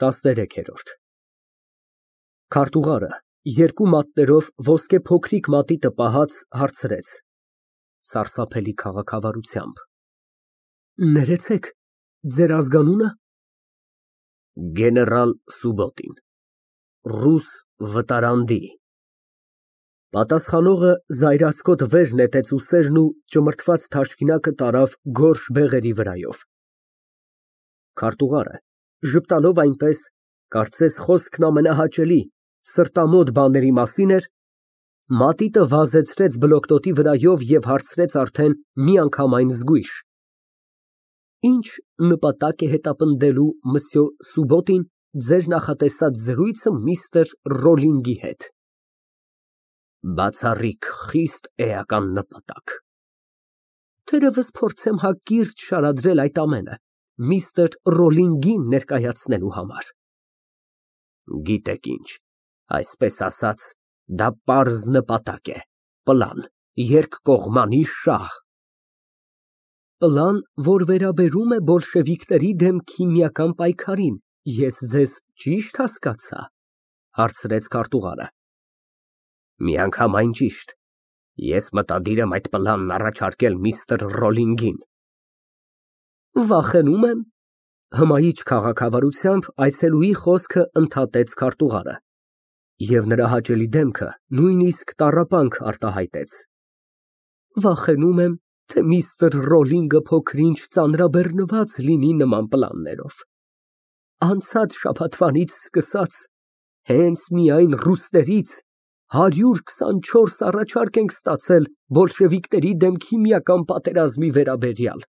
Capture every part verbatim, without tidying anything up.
տասներեքերորդ Քարտուղարը երկու մատներով ոսկե փոքրիկ մատի տպահած հարցրեց սարսափելի քաղաքավարությամբ. Ներեցեք, ձեր ազգանո՞ւնը։ Գեներալ Սուբոտին, ռուս վտարանդի։ Պատասխանողը զայրացկոտ վեր նետեց ուսերն ու ճմրթված թաշկինակը տարավ գորշ բեղերի վրայով։ Քարտուղարը ժպտալով այնպես, կարծես խոսքն ամենահաճելի, սրտամոտ բաների մասին էր, մատիտը վազեցրեց բլոկնոտի վրայով և հարցրեց արդեն միանգամայն զգույշ. Ինչ նպատակ է հետապնդելու մսյո Սուբոտին ձեր նախատեսած զրույցը միստր Ռոլլինգի հետ։ Բացառիկ խիստ էական նպատակ։ Թերևս փորձեմ հակիրճ շարադրել այդ ամենը միստր Ռոլլինգին ներկայացնելու համար։ Գիտեք ինչ, այսպես ասած, դա պարզ նպատակ է, պլան, երկկողմանի շահ։ Պլան, որ վերաբերում է բոլշևիկների դեմ քիմիական պայքարին, ես ձեզ ճի՞շտ հասկացա, հարցրեց քարտուղարը։ Միանգամայն ճիշտ, ես մտադիր եմ այդ պլանն առաջարկել միստր Ռոլլինգին։ Վախենում եմ, հմայիչ քաղաքավարությամբ այցելուի խոսքը ընդհատեց քարտուղարը, և նրա հաճելի դեմքը նույնիսկ տառապանք արտահայտեց։ Վախենում եմ, թե միստր Ռոլլինգը փոքր-ինչ ծանրաբեռնված լինի նման պլաններով։ Անցած շաբաթվանից սկսած, հենց միայն ռուսներից հարյուր քսանչորս առաջարկ ենք ստացել բոլշևիկների դեմ քիմիական պատերազմի վերաբերյալ։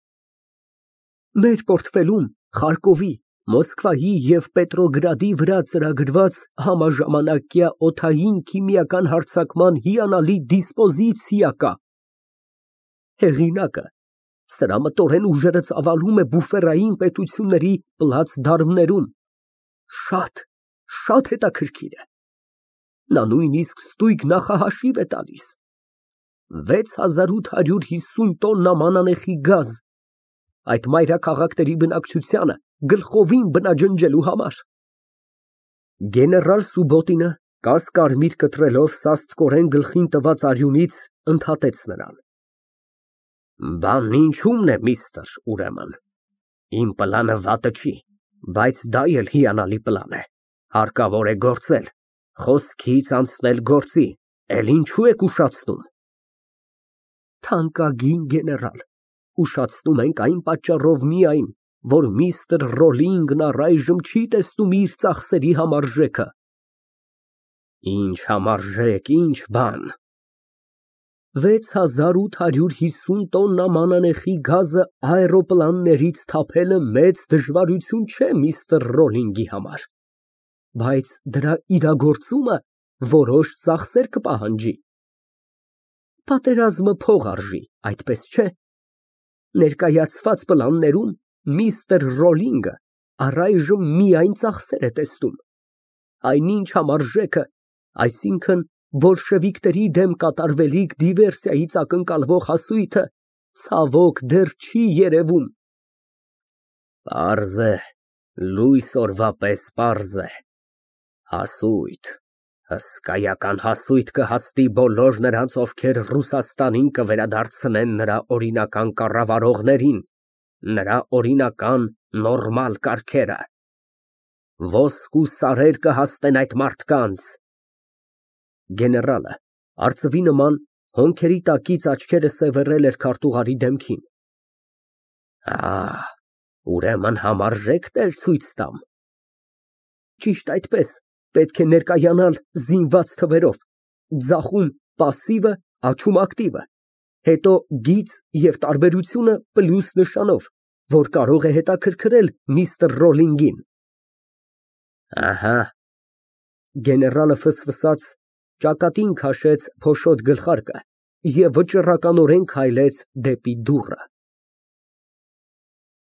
Մեր պորտֆելում Խարկովի, Մոսկվայի և Պետրոգրադի վրա ծրագրված համաժամանակյա օդային քիմիական հարձակման հիանալի դիսպոզիցիա կա։ Հեղինակը սրամտորեն ուժերը ծավալում է բուֆերային պետությունների պլացդարմներում։ Շատ, շատ հետաքրքիր է։ Նա նույնիսկ ստույգ նախահաշիվ է տալիս. վեց հազար ութ հարյուր հիսուն տոննա մանանեխի գազ, այդ մայրաքաղաքների բնակչությանը գլխովին բնաջնջելու համար։ Գեներալ Սուբոտինը, կասկարմիր կտրելով սաստկորեն գլխին տված արյունից, ընդհատեց նրան. Բանն ինչումն է, միստր, ուրեմն, իմ պլանը վատը չի, բայց դա էլ հիանալի պլան է, հարկավոր է գործել, խոսքից անցնել գործի, էլ ինչու եք ուշացնում։ Թանկագին գեներալ, ուշացնում ենք այն պատճառով միայն, որ միստր Ռոլլինգն առայժմ չի տեսնում իր ծախսերի համարժեքը։ Ինչ համարժեք, ինչ բան։ վեց հազար ութ հարյուր հիսուն տոննա մանանեխի գազը աերոպլաններից թափելը մեծ դժվարություն չէ միստր Ռոլլինգի համար, բայց դրա իրագործումը որոշ ծախսեր կպահանջի։ Պատերազմը փող արժի, այդպես չէ։ Ներկայացված պլաններում միստր Ռոլլինգը առայժմ միայն ծախսեր է տեսնում։ Այնինչ համարժեքը, այսինքն բոլշևիկների դեմ կատարվելիք դիվերսիայից ակնկալվող հասույթը, ցավոք, դեռ չի երևում։ Պարզ է, լույս օրվա պես պարզ է, հասույթ, հսկայական հասույթ կհասնի բոլոր նրանց, ովքեր Ռուսաստանին կվերադարձնեն նրա օրինական կառավարողներին, նրա օրինական նորմալ կարգերը։ Ոսկ ու սարեր կհասնեն այդ մարդկանց։ Գեներալը, արծվի նման, հոնքերի տակից աչքերը սևեռել էր քարտուղարի դեմքին։ Ահ, ուրեմն համարժեքներ ցույց տամ։ Ճիշտ այդպես, պետք է ներկայանալ զինված թվերով, ձախում պասիվը, աջում ակտիվը, հետո գիծ և տարբերությունը պլյուս նշանով, որ կարող է հետաքրքրել միստր Ռոլլինգին։ Ահա։ Գեներալը ֆսֆսաց, ճակատին քաշեց փոշոտ գլխարկը և վճռականորեն քայլեց դեպի դուռը։